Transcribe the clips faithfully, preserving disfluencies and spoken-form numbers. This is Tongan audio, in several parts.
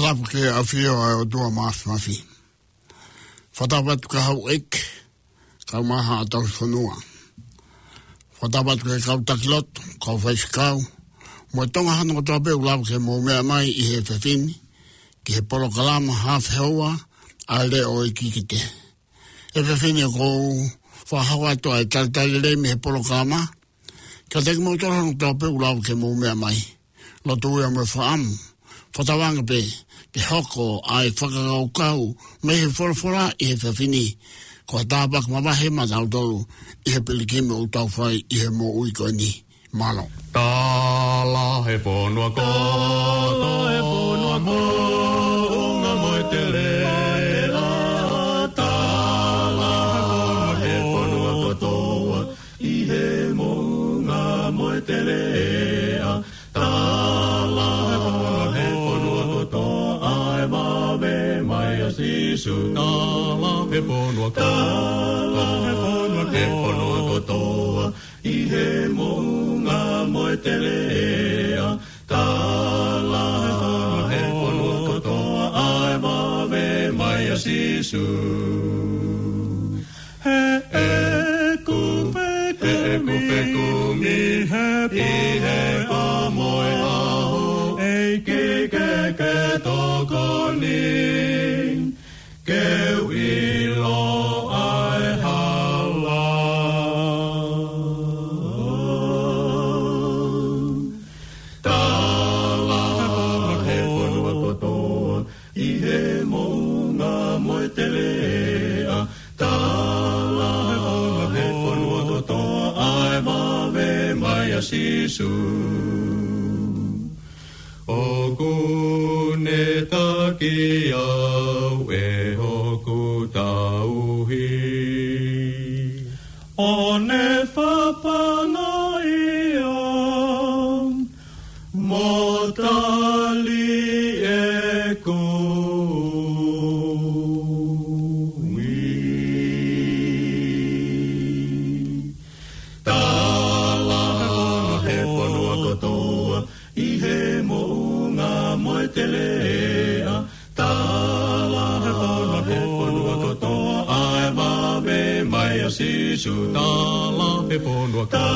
Tapu ki he ʻafio ʻa e ʻOtua Māfimafi. Fakatapu atu ki he houʻeiki, kae ʻumaʻā haʻa tauhi fonua. Fakatapu atu ki he kau taki lotu, kau faifekau, mo e Tonga hono kotoa pē ʻoku lava ke mou meʻa mai ʻi he efiafi ni ki he polokalama Hafe Houa ʻa e Leʻo ʻo e Kikite. He efiafi ni ʻoku ou fakahoko atu ʻa e talitali lelei mei he polokalama kiate kimoutolu hono kotoa pē ʻoku lava ke mou meʻa mai. Lotu ia mo e fakaʻamu, fakatauange pē ke hoko ʻa e fakakaukau mei he folofola ʻi he efiafi ni ko ha tāpuaki mavahe maʻatautolu ʻi he pilikimi ʻoku tau fai ʻi he moʻui ko eni. Mālō. Tala he fonua kotoa, tala he fonua kotoa, moʻunga mo e teleʻa. Tala he fonua kotoa, ʻi he moʻunga mo e teleʻa. Tala he fonua kotoa, ʻa e vave mai ʻa Sīsū. Tala he fonua kotoa, tala he fonua kotoa, ʻi he moʻunga mo e teleʻa. Tala he fonua kotoa, ʻa e vave mai ʻa Sīsū. He ʻeku fekumi, he ʻeku fekumi, ʻi he pō mo e ʻaho, ʻEiki ke ke tokoni, ke u ʻilo ʻa e hala. Tala he fonua kotoa, ʻi he moʻunga mo e teleʻa. Tala he fonua kotoa, ʻa e vave mai ʻa Sīsū. ʻOku ne taki au ʻe hoku tauhi, ʻo ne fafanga ia mo tali ʻeku ui. Tala he fonua kotoa, ʻi he moʻunga mo e teleʻa. Tala he fonua kotoa, ʻa e vave mai ʻa Sīsū. Tala he fonua kotoa,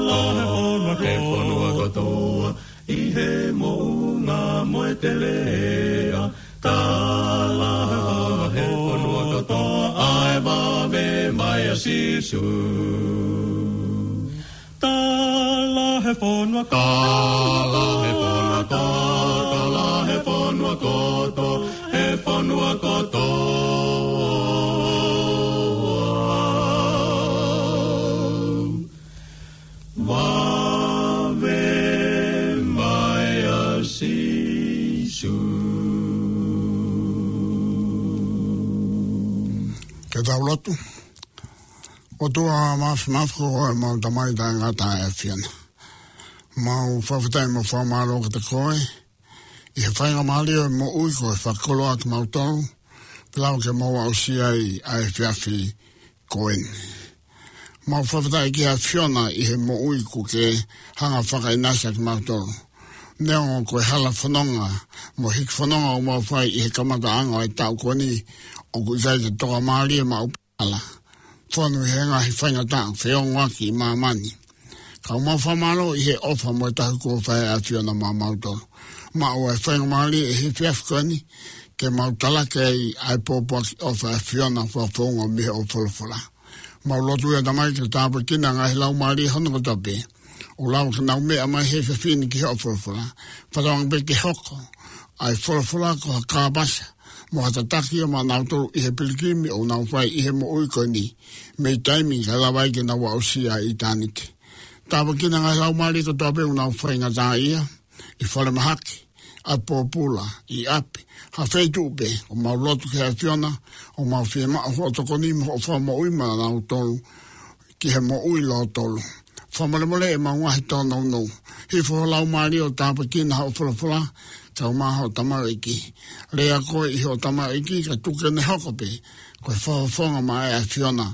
tala he fonua kotoa, ʻi he moʻunga mo e teleʻa. Tala he fonua kotoa, ʻa e vave mai ʻa Sīsū. Tala he fonua kotoa, tala he fonua kotoa, tala he fonua kotoa, he fonua kotoa. Vave mai ʻa Sīsū. Ke tau lotu. ʻOtua Māfimafi, ko homau Tamai taʻengata ʻa e ʻAfiona. Mau fakafetaʻi mo fakamālō kiate koe ʻi he faingamālie ʻo e moʻui kuo ke fakakoloa kimautolu, pea lava ke mau aʻusia ai ʻa e efiafi ko eni. Mau fakafetaʻi ki he ʻAfiona ʻi he moʻui kuo ke hanga ʻo fakaʻinasi ʻa kimautolu. Neongo ko e hala fononga mo e hiki fononga ʻoku mau fai ʻi he kamataʻanga ʻo e taʻu ko eni, ʻoku ʻikai ke tokamālie maʻu pala, fonu he ngaahi faingataʻa feongoaki ʻi māmani. Ka ʻoku mau fakamālō ʻi he ʻofa mo e tauhi kuo fai ʻe he ʻAfiona maʻamautolu. Maʻu ʻa e faingamālie ʻi he efiafi ko eni ke mau talaki ai ʻa e pōpoaki ʻofa ʻa e ʻAfiona fakafounga mei hoʻo folofola. Mau lotu ia Tamai ke tāpuekina ʻa e ngaahi laumālie hono kotoa pē ʻoku lava ke nau meʻa mai he efiafi ni ki hoʻo folofola. Fakatauange pē ke hoko ʻa e folofola ko ha kāpasa mo ha tataki ia maʻanautolu ʻi he pilikimi ʻoku nau fai ʻi he moʻui ko eni, mei taimi kae lava ai ke nau aʻusia ʻa ʻitāniti. Tāpuekina ʻa e ngaahi laumālie kotoa pē ʻoku nau faingataʻaʻia ʻi falemahaki, ʻi pōpula, ʻi ʻapi, ha feituʻu pē, ʻoku mau lotu ki he ʻAfiona, ʻoku mau fiemaʻu hoʻo tokoni mo hoʻo fakamoʻui maʻanautolu ki he moʻui lōtolu. Fakamolemole ʻemau ngaahi tōnounou. Hifo ho laumālie ʻo tāpuekina hoʻo folofola, kae ʻumaʻā hoʻo tamaioʻeiki. Lea koe ʻi hoʻo tamaioʻeiki, kae tuku ke ne hoko pē ko e fakafofonga maʻa e ʻAfiona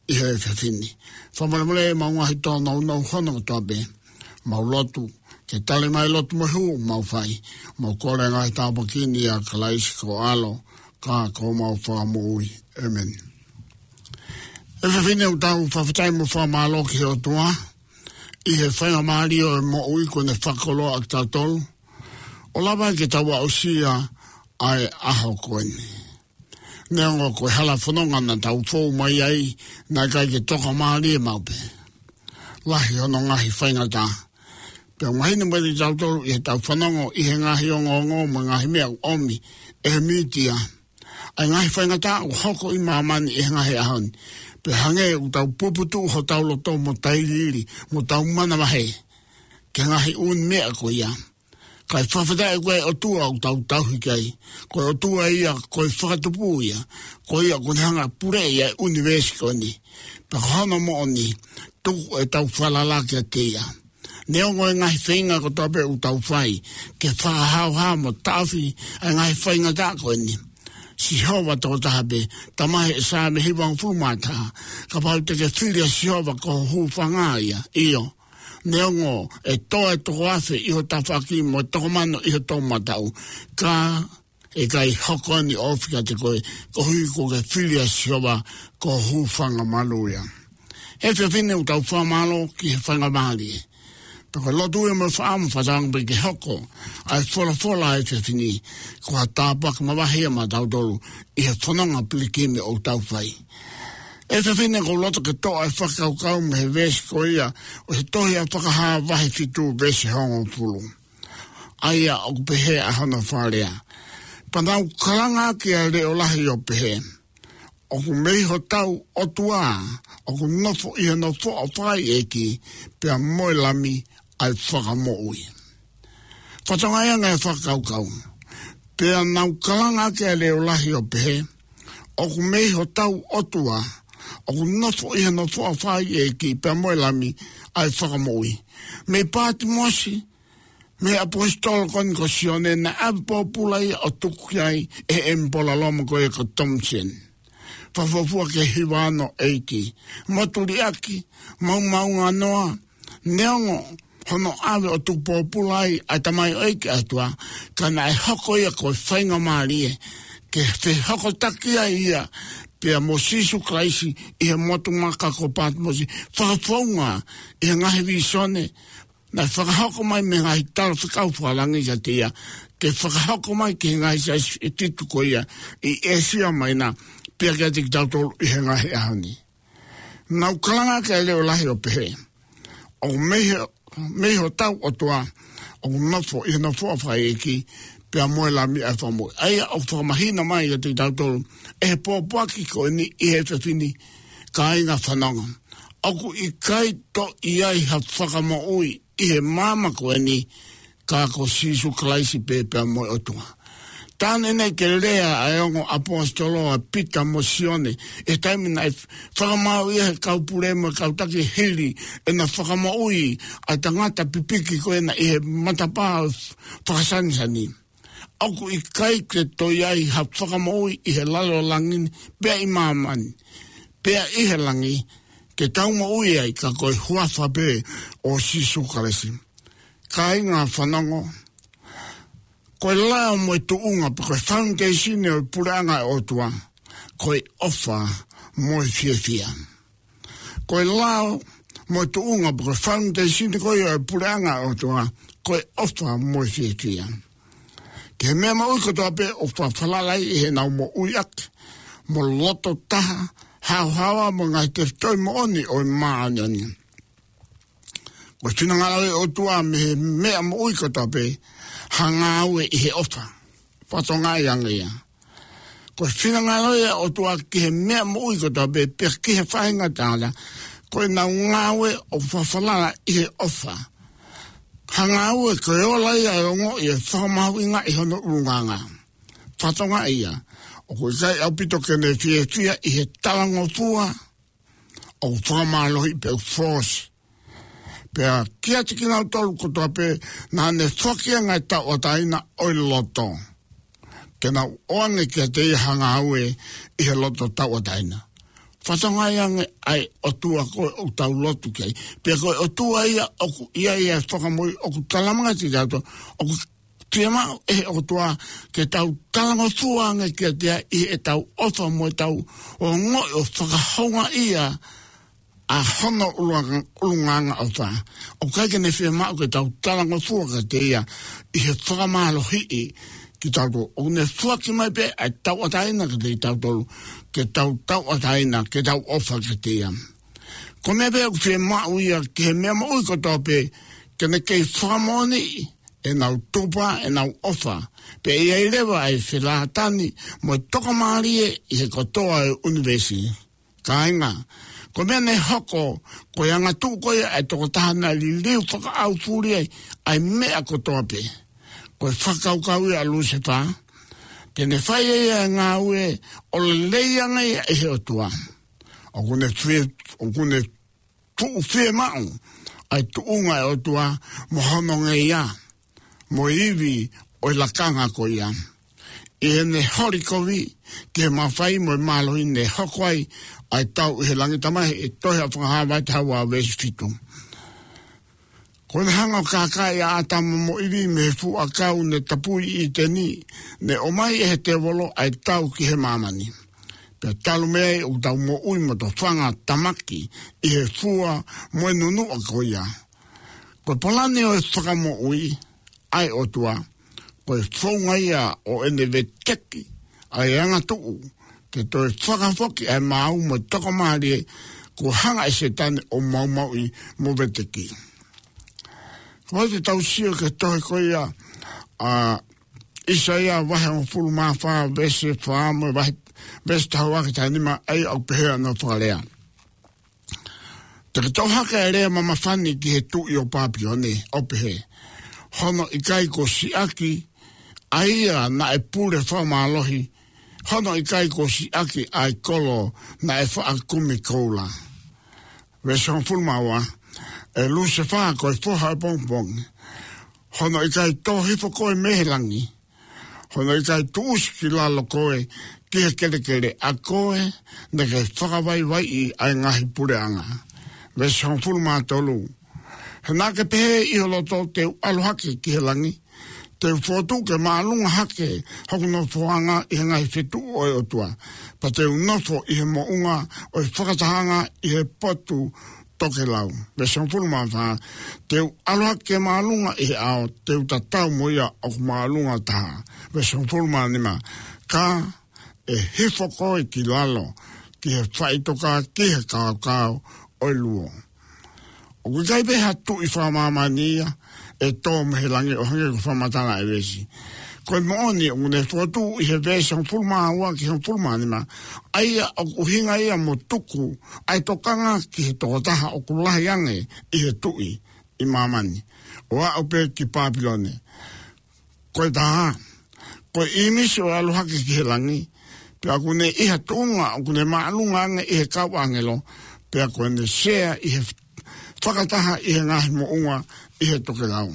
ʻi he efiafi ni. Fakamolemole ʻemau ngaahi tōnounou hono kotoa pē. Mau lotu Ke tali mai lotu mo e hū mau fai. Mau kole ngaahi tāpuaki ni ʻia Kalaisi ko ho ʻAlo, ka ko homau Fakamoʻui. ʻĒmeni. ʻE fefine, ʻoku tau fakafetaʻi mo fakamālō ki he ʻOtua, ʻi he faingamālie ʻo e moʻui kuo ne fakakoloa kitautolu, ʻo lava ke tau aʻusia ʻa e ʻaho ko eni. Neongo ko e hala fononga naʻa tau fou mai ai, naʻe ʻikai ke tokamālie maʻu pē. Lahi hono ngaahi faingataʻa. Pea mahino mai kiate kitautolu ʻi heʻetau fanongo ʻi he ngaahi ongoongo mo e ngaahi meʻa ʻoku ʻomi ʻe he mītia, ʻa e ngaahi faingataʻa ʻoku hoko ʻi māmani ʻi he ngaahi ʻaho ni. Pea hangē ʻoku tau puputuʻu hotau loto mo tailiili, mo tau manavahē ki he ngaahi ʻū meʻa ko ia. Kae fakafetaʻi ko e ʻOtua ʻoku tau tauhi ki ai, ko e ʻOtua ia, ko e Fakatupu ia, ko ia ʻoku ne hanga ʻo puleʻi ʻa e ʻunivēsi ko eni. Pea ko hono moʻoni, tuku ʻetau falala kiate ia. Neongo e ngaahi feinga kotoa pē ʻoku tau fai ke fakahaohaoa mo taʻofi ʻa e ngaahi faingataʻa ko eni, Sihova tokotaha pē, Tamai, ʻe Saame hivangofulu mā taha, kapau te ke fili ʻa Sihova, ko ho hūfanga ia. ʻIo, neongo ʻe tō e toko afe ʻi ho tafaʻaki mo e toko mano ʻi ho toʻomataʻu, ka ʻe ʻikai hoko ʻeni ʻo ofi kiate koe, koeʻuhi kuo ke fili ʻa Sihova, ko ho hūfanga malu ia. ʻE fefine, ʻoku tau fakamālō ki he faingamālie. Pea ko e lotu ia mo e fakaʻamu, fakatauange pē ke hoko ʻa e folofola ʻa e fefine ko ha tāpuaki mavahe ia maʻatautolu ʻi he fononga pilikimi ʻoku tau fai. ʻE fefine, ʻoku ou loto ke toʻo ʻa e fakakaukau mei he veesi ko ia ʻo e tohi ʻa Fakahā vahe fitu veesi hongofulu, ʻa ia ʻoku pehē ʻa hono fakalea: Pea naʻa ku kalanga ʻaki ʻa e leʻo lahi ʻo pehē, ʻOku mei hotau ʻOtua, ʻoku nofo ʻi hono foʻi fakaʻeiʻeiki, pea mo e Lami ʻa e fakamoʻui. Fakatokangaʻi ange e fakakaukau. Pea naʻa ku kalanga ʻaki ʻa e leʻo lahi ʻo pehē, ʻOku mei hotau ʻOtua, ʻoku nofo ʻi hono foʻi fakaʻeiʻeiki, pea mo e Lami ʻa e fakamoʻui. Mei Pātimosi, mei he ʻaposetolo ko eni ko Sione, naʻe ʻave pōpula ia ʻo tuku ki ai ʻe he ʻemipola Loma ko ia ko Thomas Jefferson. Fakafuofua ki he hiva ono ʻeiki. Motu liʻaki, maomaonganoa, neongo hono ʻave ʻo tuku pōpula ai ʻa e tamaioʻeiki ʻa e ʻOtua, ka naʻe hoko ia ko e faingamālie ke fehokotaki ai ia pea mo Sīsū Kalaisi ʻi he motu maka ko Pātimosi, fakafounga ʻi he ngaahi vīsone naʻe fakahoko mai mei he ngaahi talafekau fakalangi kiate ia, ke fakahoko mai ki he ngaahi siasi ʻe fitu ko ia ʻi ʻĒsia Maina, pea kiate kitautolu ʻi he ngaahi ʻaho ni. Naʻa ku kalanga ʻaki ʻa e leʻo lahi ʻo pehē, ʻOku mei he, mei hotau ʻOtua, ʻoku nofo ʻi hono foʻi fakaʻeiʻeiki, pea mo e Lami ʻa e fakamoʻui. ʻA ia ʻoku fakamahino mai kiate kitautolu ʻe he pōpoaki ko eni ʻi he fefine, kāinga fanongo, ʻoku ʻikai toe ʻi ai ha fakamoʻui ʻi he māmani ko eni, ka ko Sīsū Kalaisi pē pea mo e ʻOtua. Talu ʻeni ke lea ʻa e ongo ʻaposetolo ʻa Pita mo Sione, ʻi he taimi naʻe fakamaau ai ʻe he kau pule mo e kau taki hili ʻena fakamoʻui ʻa e tangata pipiki ko ena ʻi he matapā fakasanisani. ʻOku ʻikai ke toe ʻi ai ha fakamoʻui ʻi he lalo langi ni, pea ʻi māmani, pea ʻi he langi, ke tau moʻui ai ka ko e huafa pē ʻo Sīsū Kalaisi. Kāinga fanongo, ko e lao mo e tuʻunga, pe ko e foundation ʻo e puleʻanga ʻo e ʻOtua, ko e ʻofa mo e fiefia. Ko e lao mo e tuʻunga, pe ko e foundation ko ia ʻo e puleʻanga ʻo e ʻOtua, ko e ʻofa mo e fiefia. Ki he meʻa moʻui kotoa pē ʻoku fakafalala ai ʻi heʻenau moʻui ʻaki mo loto taha, haohaoa mo e ngaahi tefitoʻi moʻoni ʻo e māʻoniʻoni. Ko e finangalo ʻo e ʻOtua mei he meʻa moʻui kotoa pē, ha ngāue ʻi he ʻofa. Fakatokangaʻi ange ia. Ko e finangalo ia ʻo e ʻOtua ki he meʻa moʻui kotoa pē, pea ki he faingataʻa, ko ʻenau ngāue ʻoku fakafalala ʻi he ʻofa. Ha ngāue ko e ola ia ʻo e ongoʻi e fakamahuʻinga ʻi hono ʻulungaanga. Fakatokangaʻi ia, ʻoku ʻikai ʻaupito ke ne fiefia ʻi he talangofua ʻoku fakamālohiʻi pe ʻoku fōsi. Pea kiate kinautolu kotoa pē naʻa ne foaki ʻa e ngaahi tauʻatāina ʻo e loto, ke nau ʻoange kiate ia ha ngāue ʻi he loto tauʻatāina. fatongia ange ʻa e ʻOtua ko ē ʻoku tau lotu ki ai. Pea ko e ʻOtua ia ʻoku ʻi ai ʻa e fakamoʻui, ʻoku talamai kiate kitautolu, ʻoku fiemaʻu ʻe he ʻOtua ke tau talangofua ange kiate ia ʻi heʻetau ʻofa mo ʻetau ongoʻi ʻo fakahoungaʻia ʻa hono ʻulunga-, ʻulungaanga ʻofa. ʻOku ʻikai ke ne fiemaʻu ke tau talangofua kiate ia ʻi he fakamālohiʻi kitautolu. ʻOku ne foaki mai pē ʻa e tauʻatāina kiate kitautolu, ke tau tauʻatāina, ke tau ʻofa kiate ia. Ko e meʻa pē ʻoku fiemaʻu ia ki he meʻa moʻui kotoa pē, ke ne kei fakamoʻoniʻi ʻenau tupu, ʻenau ʻofa. Pea ʻi ai leva ʻa e felātani mo e tokamālie ʻi he kotoa e ʻunivēsi. Kāinga, ko e meʻa ne hoko, ko e angatuʻu ko ia ʻa e tokotaha naʻe liliu fakaʻaufuli ai ʻa e meʻa kotoa pē. Ko e fakakaukau ia ʻa Lusefā, te ne fai ʻe ia e ngāue ʻo lelei ange ia ʻe he ʻOtua. ʻOku ne fie-, ʻoku ne tuʻu fiemaʻu ʻa e tuʻunga ʻo e ʻOtua mo hono ngeia, mo e ivi ʻo e lakanga ko ia. ʻI heʻene holi kovi ki he mafai mo e mālohi ne hoko ai ʻa e tau ʻi he langi, talamai ʻe he tohi ʻa Fakahā vahe taha ua veesi fitu. Ko ʻene hanga ʻo kākaaʻi ʻa ʻĀtama mo ʻIvi mei he fuʻu ʻakau ne tapui ʻi ʻĪteni, ne ʻomai ʻe he tēvolo ʻa e tau ki he māmani. Pea talu mei ai ʻoku tau moʻui mo tofanga tāmaki ʻi he fua mo e nunuʻa ko ia. Ko e palani ʻo e fakamoʻui ʻa e ʻOtua, ko e founga ia ʻo ʻene veteki ʻa e angatuʻu ke toe fakafoki ʻa e maau mo e tokamālie kuo hanga ʻe Sētane ʻo maumauʻi mo veteki. Ko e tau sio ki he tohi ko ia ʻa ʻĪsaia vahe hongofulu mā fā veesi fā mo e vahe, veesi taha ua ki he taha nima, ʻa ia ʻoku pehē hono fakalea: Te ke toʻo hake ʻa e lea mamafani ki he tuʻi ʻo Pāpilone, ʻo pehē: Hono ʻikai ko Siʻaki ʻa ia naʻe pule fakamālohi, hono ʻikai ko Siʻaki ʻa e kolo naʻe faʻa kumi koula. Veesi hongofulu mā ua: ʻE Lusefā, ko e foha ʻo e pongipongi, hono ʻikai tō hifo koe mei he langi, hono ʻikai tuʻusi ki lalo koe ki he kelekele, ʻa koe naʻa ke fakavaivaiʻi ʻa e ngaahi puleʻanga. Veesi hongofulu mā tolu: He naʻa ke pehē ʻi ho loto, Te u ʻalu hake ki he langi, te u fokotuʻu ke māʻolunga hake hoku nofoʻanga ʻi he ngaahi fetuʻu ʻo e ʻOtua, pea te u nofo ʻi he moʻunga ʻo e fakatahaʻanga ʻi he potu tokelau. Veesi hongofulu mā fā: Te u ʻalu hake ke māʻolunga ʻi he ʻao, te u tatau mo ia ʻoku māʻolunga taha. Veesi hongofulu mā nima: Ka ʻe hifo koe ki lalo, ki he faʻitoka, ki he kaokao ʻo e luo. ʻOku ʻikai pē ha tuʻi fakamāmani ia ʻe tō mei he langi ʻo hangē ko e fakamatala ʻa e veesi. Ko e moʻoni, ʻoku ne fokotuʻu ʻi he veesi hongofulu mā ua ki he hongofulu mā nima, ʻa ia ʻoku ʻuhinga ia mo tuku ʻa e tokanga ki he tokotaha ʻoku lahi ange ʻi he tuʻi ʻi māmani, ʻo aʻu pē ki Pāpilone. Ko e taha, ko e ʻīmisi ʻo e ʻalu hake ki he langi, pea ʻoku ne ʻi ha tuʻunga ʻoku ne māʻolunga ange ʻi he kau ʻāngelo, pea ko ʻene sea ʻi he fakataha ʻi he ngaahi moʻunga ʻi he tokelau.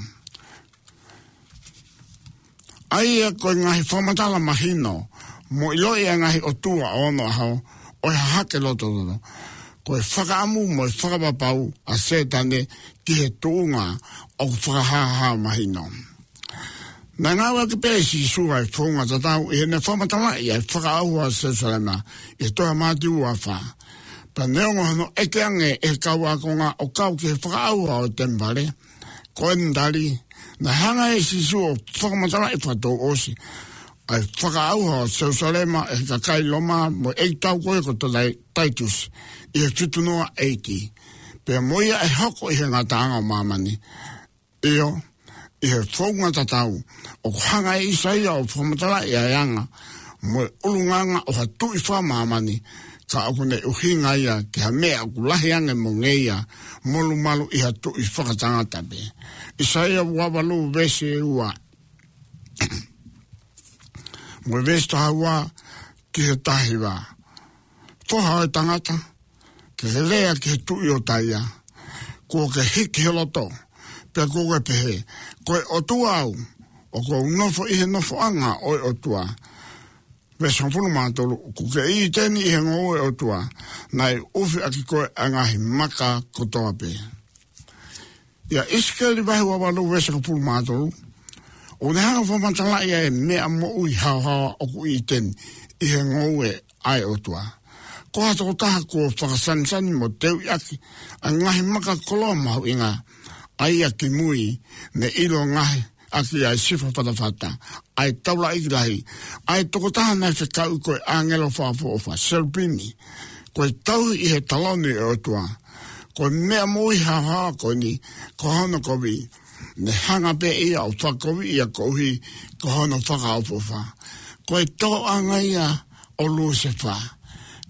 ʻA ia ko e ngaahi fakamatala mahino mo ʻiloʻi ʻa e ngaahi ʻotua ʻo onoʻaho ʻo e hahake lototoʻa, ko e fakaʻamu mo e fakapapau ʻa Sētane ki he tuʻunga ʻoku fakahāhā mahino. Naʻe ngāueʻaki pē ʻe Sīsū ʻa e founga tatau ʻi heʻene fakamatalaʻi ʻa e fakaʻauha ʻo Selusalema ʻi he tohi ʻa Mātiu ua fā. Pea neongo hono ʻeke ange ʻe he kau ākonga ʻo kau ki he fakaʻauha ʻo e temipale, ko ʻene tali, naʻe hanga ʻe Sīsū ʻo fakamatalaʻi fakatouʻosi ʻa e fakaʻauha ʻo Selusalema ʻe he kakai Loma mo e ʻeikitau ko ia ko Tai-, Taitusi ʻi he fitu noa ʻEiki, pea mo ia ʻe hoko ʻi he ngataʻanga ʻo māmani. ʻIo, ʻi he founga tatau, ʻoku hanga ʻe ʻĪsaia ʻo fakamatalaʻi ʻa e anga mo e ʻulungaanga ʻo ha tuʻi fakamāmani, ka ʻoku ne ʻuhinga ia ki ha meʻa ʻoku lahi ange mo ngeia, molumalu ʻi ha tuʻi fakatangata pē. ʻĪsaia ua valu veesi ua, mo e veesi taha ua ki he taha hiva. Foha ʻo e tangata, ke ke lea ki he tuʻi ʻo Taia, kuo ke hiki ho loto, pea kuo ke pehē, Ko e ʻOtua au, ʻoku ou nofo ʻi he nofoʻanga ʻo e ʻOtua. veesi hongofulu mā tolu, ʻoku ke ʻi ʻĪteni ʻi he ngoue ʻo e ʻOtua, naʻe ʻufiʻaki koe ʻa e ngaahi maka kotoa pē. ʻIa ʻIsikeli vahe ua valu veesi hongofulu mā tolu, ʻoku ne hanga ʻo fakamatalaʻi ʻa e meʻa moʻui haohaoa ʻoku ʻi ʻĪteni ʻi he ngoue ʻa e ʻOtua. Ko ha tokotaha kuo fakasanisani mo teuʻi ʻaki ʻa e ngaahi maka koloa mahuʻinga, ʻa ia kimui ne ʻilo ngaahi ʻaki ʻa e sifa fatafata, ʻa e taulaʻeiki lahi, ʻa e tokotaha naʻe fekauʻi ko e ʻāngelo fakaʻofoʻofa, selupimi, ko e tauhi ʻi he taloni ʻo e ʻOtua. Ko e meʻa moʻui haohaoa ko eni, ko hono kovi, ne hanga pē ia ʻo fakakoviʻi ia koeʻuhi ko hono fakaʻofoʻofa. Ko e tōʻonga ia ʻo Lusefā,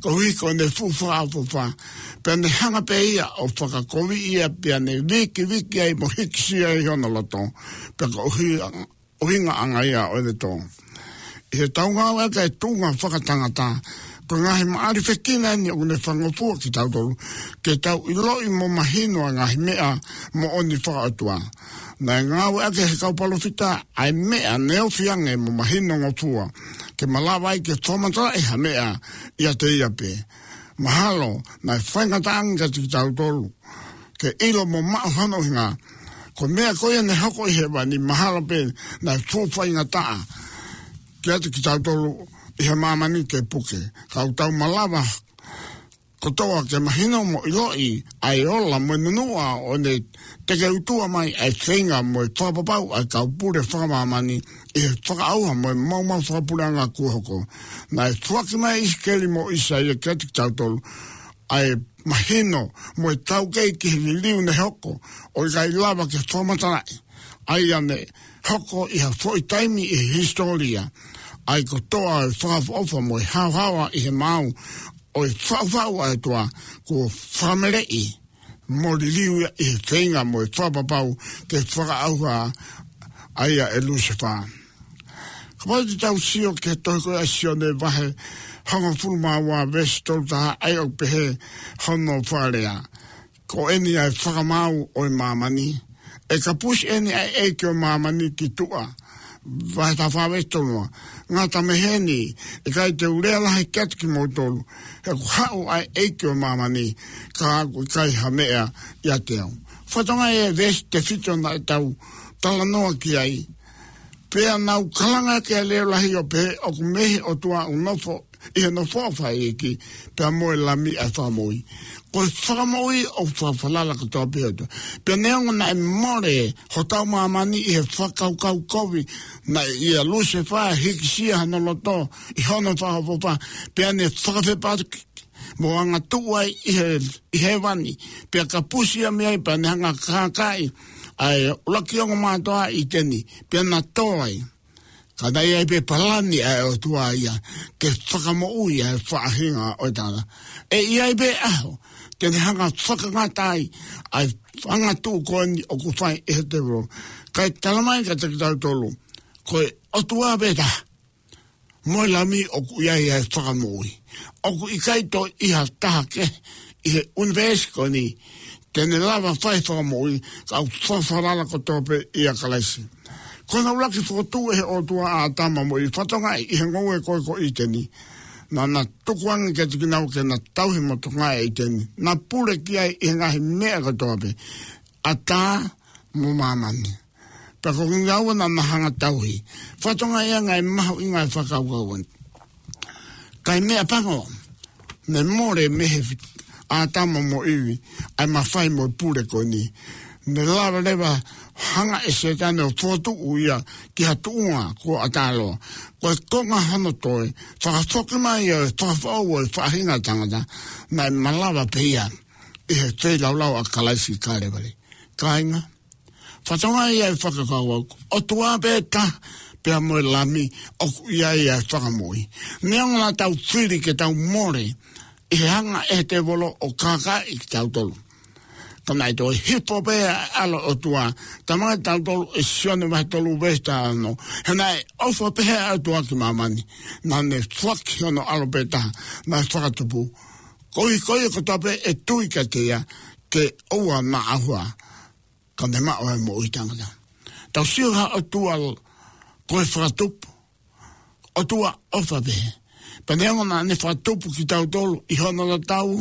koeʻuhi ko ʻene fuʻu fakaʻofoʻofa. Pea ne hanga pē ia ʻo fakakoviʻi ia, pea ne vikiviki ai mo hīkisia ai hono loto. Pea ko e ʻuhi-, ʻuhingaʻanga ia ʻo ʻene tō. ʻI heʻetau ngāueʻaki e tuʻunga fakatangata, ko e ngaahi maʻalifekina eni ʻoku ne fakangofua kitautolu ke tau ʻiloʻi mo mahino ʻa e ngaahi meʻa moʻoni fakaʻotua. Naʻe ngāueʻaki ʻe he kau palōfita ʻa e meʻa neofiange mo mahinongofua, ke malava ai ke fakamatalaʻi ha meʻa ʻiate ia pē. Mahalo naʻe faingataʻa ange kiate kitautolu ke ʻilo mo maʻu hono ʻuhinga. Ko e meʻa ko ia ne hoko ʻi hēvani, mahalo pē naʻe fuʻu faingataʻa kiate kitautolu ʻi he māmani ke puke. Ka ʻoku tau malava kotoa ke mahino mo ʻiloʻi ʻa e ola mo e nunuʻa ʻo ʻene tekeutua mai ʻa e feinga mo e fakapapau ʻa e kau pule fakamāmani ʻi he fakaʻauha mo e maumau fakapuleʻanga kuo hoko. Naʻe foaki mai ʻe ʻIsikeli mo ʻIsaia kiate kitautolu ʻa e mahino mo e taukei ki he liliu ne hoko, ʻo ʻikai lava ke fakamatalaʻi, ʻa ia ne hoko ʻi ha foʻi taimi ʻi he hisitōlia. ʻA ia ko e tōʻonga ʻo e fakaʻofoʻofa mo e haohaoa ʻi he maau ʻo e faʻufaʻu ʻa e ʻOtua, kuo fakameleʻi mo liliu ia ʻi he feinga mo e fakapapau ke fakaʻauha ʻa ia ʻe Lusefā. Kapau te tau sio ki he tohi ko ia ʻa Sione vahe hongofulu mā ua veesi tolu taha, ʻa ia ʻoku pehē hono fakalea: Ko eni ʻa e fakamaau ʻo e māmani, ʻe kapusi eni ʻa e ʻeiki ʻo e māmani ki tuʻa. Vahe taha fā veesi tolu noa: Ngata mei heni, ʻe ʻikai te u lea lahi kiate kimoutolu, he kuo haʻu ʻa e ʻeiki ʻo e māmani, ka ʻoku ʻikai ha meʻa ʻiate au. Fakatokangaʻi e veesi tefito naʻa tau talanoa ki ai. Pea naʻa nau kalanga ki he leʻo lahi ʻo pehē, ʻOku mei he ʻOtua ʻoku nofo ʻi he nofoʻanga ʻo e fakaʻeiʻeiki, pea mo e Lami ʻa e fakamoʻui. Ko e fakamoʻui ʻoku fakafalala kotoa pē ʻOtua. Pea neongo naʻe mole hotau māmani ʻi he fakakaukau kovi, naʻe ʻia Lusefā hīkisia hono loto ʻi hono fakaʻofoʻofa, pea ne fakafepaki mo angatuʻu ai ʻi he, ʻi hēvani, pea kapusi ia mei ai, pea ne hanga ʻo kākaaʻi ʻa e ʻuluaki ongoongomātuʻa ʻi ʻĪteni, pea na tō ai. Ka naʻe ʻi ai pē palani ʻa e ʻOtua ia ke fakamoʻui ʻa e faʻahinga ʻo e tangata. ʻE ʻi ai pē ʻaho te ne hanga ʻo fakangata ai ʻa e angatuʻu ko eni ʻoku fai ʻe he tēvolo. Kae talamai kiate kitautolu, ko e ʻOtua pē taha mo e Lami ʻoku ʻi ai ʻa e fakamoʻui. ʻOku ʻikai toe ʻi ai ha taha kehe ʻi he ʻunivēsi ko eni te ne lava fai fakamoʻui, ka ʻoku fakafalala kotoa pē ʻia Kalaisi. Ko hono ʻuluaki fokotuʻu ʻe he ʻOtua ʻa ʻĀtama mo ʻIvi, fakatokangaʻi, ʻi he ngoue ko ē ko ʻĪteni. Naʻa na tukuange kiate kinaua ke na tauhi mo tokangaʻi ʻa ʻĪteni. Na pule ki ai ʻi he ngaahi meʻa kotoa pē, ʻatā mo māmani. Pea ko kinaua naʻa na hanga ʻo tauhi. Fakatokangaʻi ange e mahuʻinga e fakakaukau eni. Kae meʻapango, ne mole mei he ʻĀtama mo ʻIvi ʻa e mafai mo e pule ko eni. Ne lava leva hanga ʻe Sētane ʻo fokotuʻu ia ki ha tuʻunga kuo ʻatā loa. Ko e konga hono toe fakafoki mai ʻo e fakafoʻou ʻo e faʻahinga tangata, naʻe malava pē ia ʻi he feilaulau ʻa Kalaisi ʻi Kalevale. Kāinga, fakatokangaʻi ʻa e fakakaukau, ʻOtua pē taha pea mo e Lami ʻoku ʻi ai ʻa e fakamoʻui. Neongo naʻa tau fili ke tau mole ʻi he hanga ʻe he tēvolo ʻo kākaaʻi kitautolu, ka naʻe toe hifo pē ʻa e ʻAlo ʻo e ʻOtua, talamai kiate kitautolu ʻe Sione vahe tolu veesi taha ono: He naʻe ʻofa pehē ʻa e ʻOtua ki māmani, naʻa ne foaki hono ʻAlo pē taha naʻe fakatupu, koeʻuhi ko ia kotoa pē ʻe tui kiate ia ke ʻoua naʻa ʻauha, ka ne maʻu ʻa e moʻui taʻengata. Tau sio ki he ʻOtua ko e fakatupu, ʻOtua ʻofa pehē. Pea neongo naʻa ne fakatupu kitautolu ʻi hono tatau,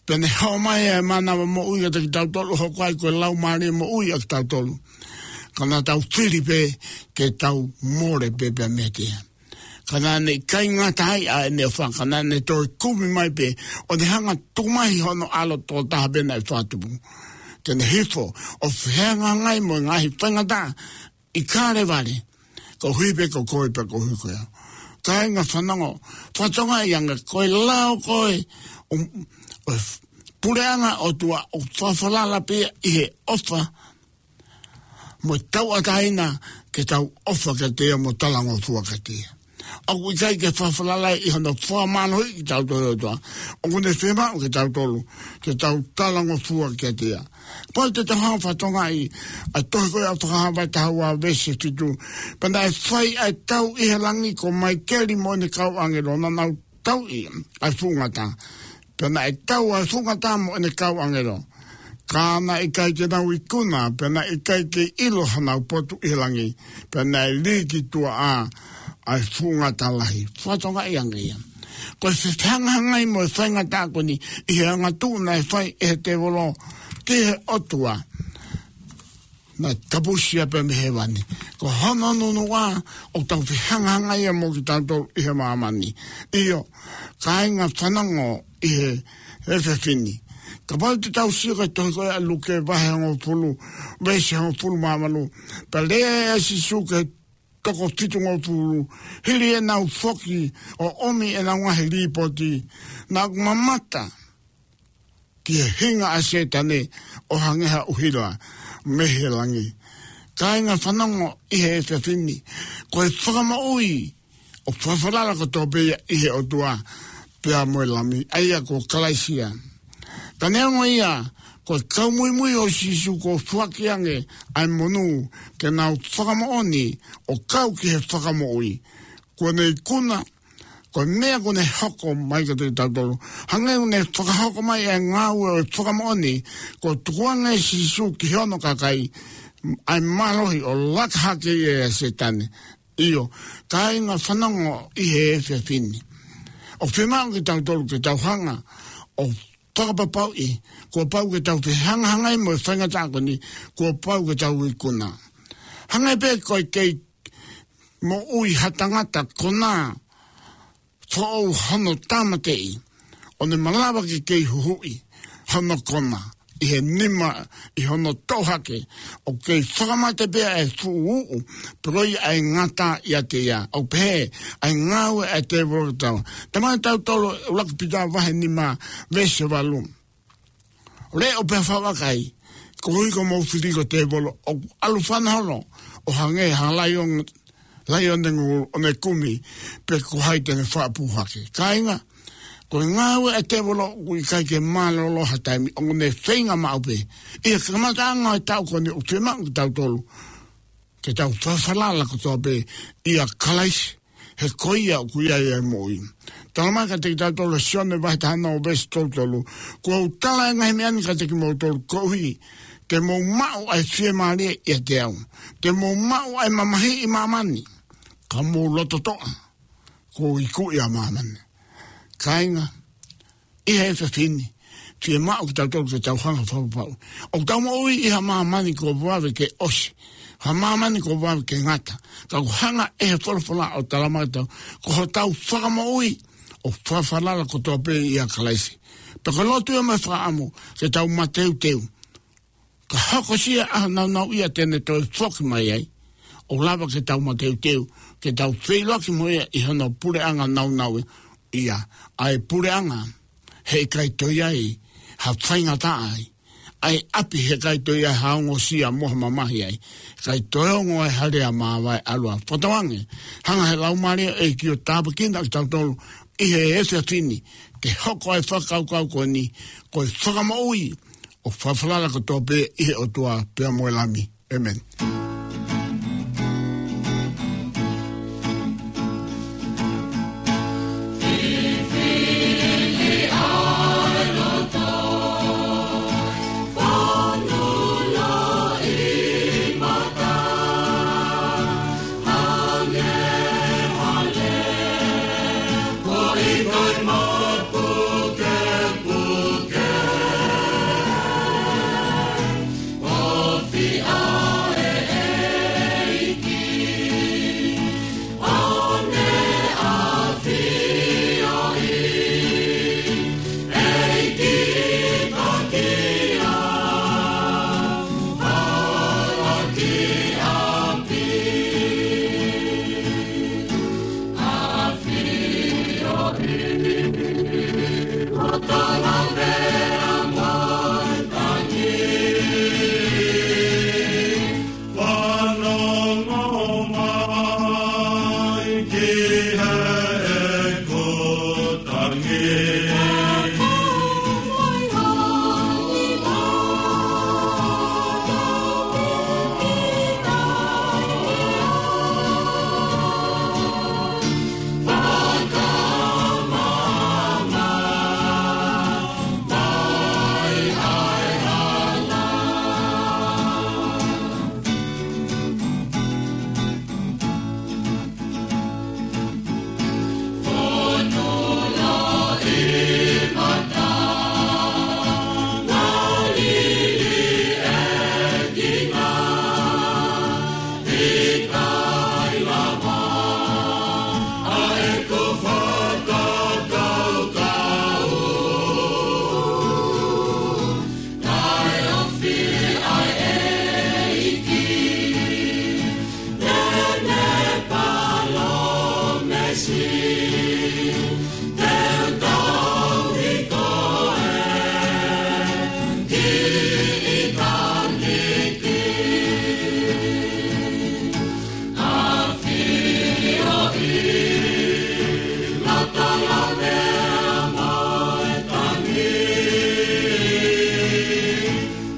pea ne hao mai ʻa e mānava moʻui kiate kitautolu, hoko ai ko e laumālie moʻui ʻa kitautolu. Ka naʻa tau fili pē ke tau mole pē pea meiate ia. Ka naʻa ne ʻikai ngata ai ʻa ʻene ʻofa, ka naʻa ne toe kumi mai pē, ʻo ne hanga tuku mai hono ʻAlo tokotaha pē naʻe fakatupu, ke ne hifo ʻo fehangahangai mo e ngaahi faingataʻa ʻi Kalevale, koeʻuhi pē ko koe pea koeʻuhi ko au. Kāinga fanongo, fakatokangaʻi ange ko e lao ko ē ʻo, ʻo e puleʻanga ʻo e ʻOtua ʻoku fakafalala pē ia ʻi he ʻofa mo e tauʻatāina ke tau ʻofa kiate ia mo talangofua kiate ia. ʻOku ʻikai ke fakafalala ʻi hono fakamālohiʻi kitautolu ʻe he ʻOtua. ʻOku ne fiemaʻu kitautolu ke tau talangofua kiate ia. Pea te tau hanga ʻo fakatokangaʻi ʻa e tohi ko ia ʻa Fakahā vahe taha ua veesi fitu. Pea naʻe fai ʻa e tau ʻi he langi ko Maikeli mo ʻene kau ʻāngelo, naʻa nau tauʻi ʻa e fuʻu ngata. Pea naʻe tau ʻa e fuʻu ngata mo ʻene kau ʻāngelo, ka naʻe ʻikai ke nau ikuna, pea naʻe ʻikai ke ʻilo hanau potu ʻi he langi, pea naʻe lī ki tuʻa ʻa e fuʻu ngata lahi. Fakatokangaʻi ange ia. Ko e fehangahangai mo e faingataʻa ko eni ʻi he angatuʻu naʻe fai ʻe he tēvolo ki he ʻOtua, naʻe kapusi ia pē mei hēvani. Ko hono nunuʻa ʻoku tau fehangahangai ia mo kitautolu ʻi he māmani. ʻIo, kāinga fanongo ʻi he, he efiafi ni. Kapau te tau sio ki he tohi ko ia ʻa Luke vahe hongofulu, veesi hongofulu mā valu. Pea lea ʻa Sīsū ki he toko fitungofulu, hili ʻenau foki ʻo ʻomi ʻenau ngaahi līpooti, naʻa ku mamata ki he hinga ʻa Sētane ʻo hangē ha ʻuhila mei he langi. Kāinga fanongo ʻi he efiafi ni, ko e fakamoʻui ʻoku fakafalala kotoa pē ia ʻi he ʻOtua pea mo e Lami, ʻa ia ko Kalaisi ia. Ka neongo ia, ko e kau muimui ʻo Sīsū kuo foaki ange ʻa e monū ke nau fakamoʻoni ʻo kau ki he fakamoʻui. Kuo ne ikuna, ko e meʻa kuo ne hoko mai kiate kitautolu. Hangē kuo ne fakahoko mai ʻa e ngāue ʻo e fakamoʻoni, kuo tukuange ʻe Sīsū ki hono kakai ʻa e mālohi ʻo laka hake ia ʻia Sētane. ʻIo, kāinga fanongo ʻi he efiafi ni, ʻoku fiemaʻu kitautolu ke tau hanga ʻo fakapapauʻi, kuo pau ke tau fehangahangai mo e faingataʻa ko eni, kuo pau ke tau ikuna. Hangē pē ko e kei moʻui ha tangata konā foʻou hono tāmateʻi, ʻo ne malava ke kei huhuʻi hono kona ʻi he nima, ʻi hono toʻo hake, ʻoku kei fakamate pē ʻa e fuʻu uʻu, pea ko ia ʻa e ngata ʻiate ia. ʻOku pehē ʻa e ngāue ʻa e tēvolo ki tautolu. Talamai ʻe kitautolu ʻe ʻUluaki Pita vahe nima veesi valu. Leʻo pea fakavakai, koeʻuhi ko hoʻomou fili ko e tēvolo, ʻoku ʻalu fana holo ʻo hangē ha laione, laione ngulu, ʻo ne kumi pe ko hai te ne faʻa pū hake. Kāinga, ko e ngāue ʻa e tēvolo ʻoku ʻikai ke mālōlō ha taimi, ʻoku ne feinga maʻu pē. ʻI he kamataʻanga ʻo e taʻu ko eni ʻoku fiemaʻu kitautolu ke tau fakafalala kotoa pē ʻia Kalaisi, he ko ia ʻoku ʻi ai ʻa e moʻui. Talamai kiate kitautolu ʻe Sione vahe taha ono veesi tolu tolu: Kuo u tala ʻa e ngaahi meʻa ni kiate kimoutolu koeʻuhi te mou maʻu ʻa e fiemālie ʻiate au. Te mou maʻu ʻa e mamahi ʻi māmani, ka mou loto toʻa, kuo u ikuʻi ʻa māmani. Kāinga, ʻi he efiafi ni, fiemaʻu kitautolu ke tau hanga ʻo fakapapauʻi ʻoku tau moʻui ʻi ha māmani kuo vave ke ʻosi, ha māmani kuo vave ke ngata. Ka ʻoku hanga ʻe he folofola ʻo talamai kiate kitautolu, ko hotau fakamoʻui ʻoku fakafalala kotoa pē ʻia Kalaisi. Pea ko e lotu ia mo e fakaʻamu ke tau mateuteu, ka hokosia ʻa e ʻaho naunauʻia te ne toe foki mai ai, ʻo lava ke tau mateuteu, ke tau feʻiloaki mo ia ʻi hono puleʻanga naunauʻia, ʻa e puleʻanga he ʻikai toe ʻi ai ha faingataʻa ai, ʻa e ʻapi he ʻikai toe ʻi ai ha ongosia mo ha mamahi ai, ʻikai toe ongo ai ha lea māvae ʻalu ʻa fotonga ange. Hanga ʻe he Laumālie ʻo e ʻEiki ʻo tāpuekina kitautolu ʻi he efiafi ni, ke hoko ʻa e fakakaukau ko eni, ko e fakamoʻui ʻoku fakafalala kotoa pē ʻi he ʻOtua pea mo e Lami. ʻĒmeni. Fanongo mai ki heʻeku tangi.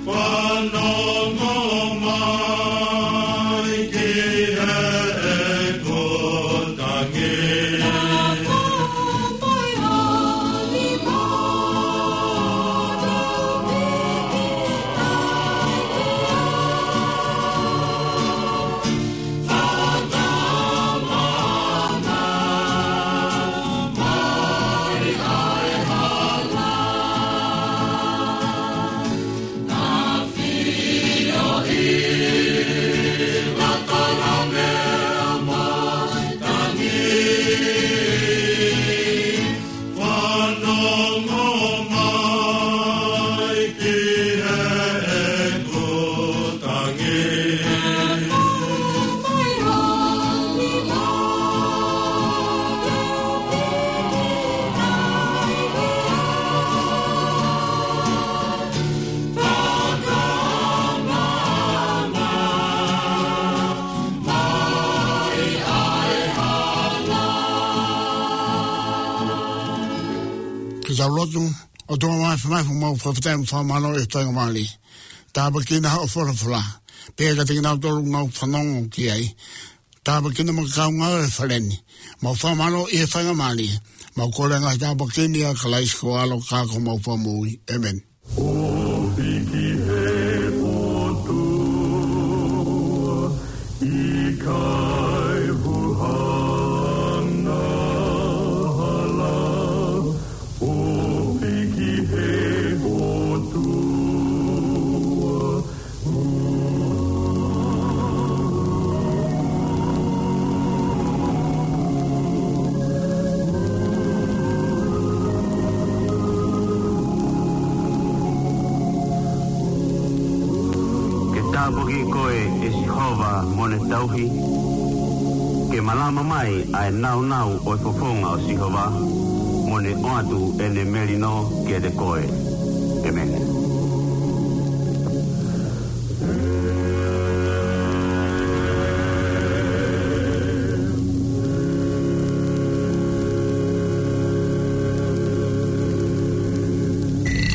Fanongo mai ki heʻeku tangi. Fanongo mai ki heʻeku tangi. Ke tau lotu. ʻOtua Māfimafi, mau fakafetaʻi mo fakamālō ʻi he faingamālie. Tāpuekina hoʻo folofola. Pea kiate kinautolu ʻoku nau fanongo ki ai. Tāpuekina mo e kau ngāue he fale ni. Mau fakamālō ʻi he faingamālie. Mau kole ʻa e ngaahi tāpuaki ni ʻia Kalaisi ko ho ʻAlo ka ko homau Fakamoʻui. ʻĒmeni. ʻOfa ki he ʻOtua, ʻikai hanga hala. ʻOfa ki he ʻOtua. Ke tāpuaki koe ʻe Sihova mo ʻene tauhi. Ke malama mai ʻa e nāunau ʻo e fofonga ʻo Sihova, mo ne ʻoatu ʻene melino kiate koe. ʻĒmeni.